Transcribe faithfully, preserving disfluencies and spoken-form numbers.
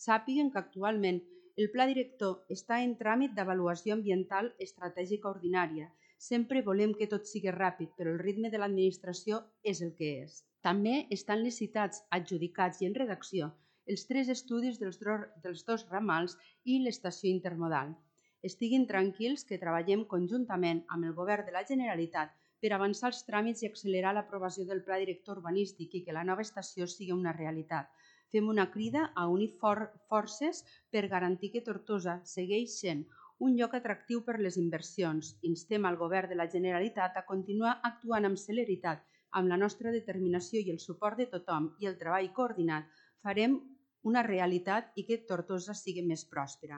Sàpiguen que actualment el Pla Director està en tràmit d'avaluació ambiental estratègica ordinària. Sempre volem que tot sigui ràpid, però el ritme de l'administració és el que és. També estan licitats, adjudicats i en redacció els tres estudis dels, dels dos ramals i l'estació intermodal. Estiguin tranquils que treballem conjuntament amb el Govern de la Generalitat per avançar els tràmits i accelerar l'aprovació del Pla Director urbanístic i que la nova estació sigui una realitat. Fem una crida a unir for forces per garantir que Tortosa segueix sent un lloc atractiu per les inversions. Instem al Govern de la Generalitat a continuar actuant amb celeritat. Amb la nostra determinació i el suport de tothom i el treball coordinat farem una realitat i que Tortosa sigui més pròspera.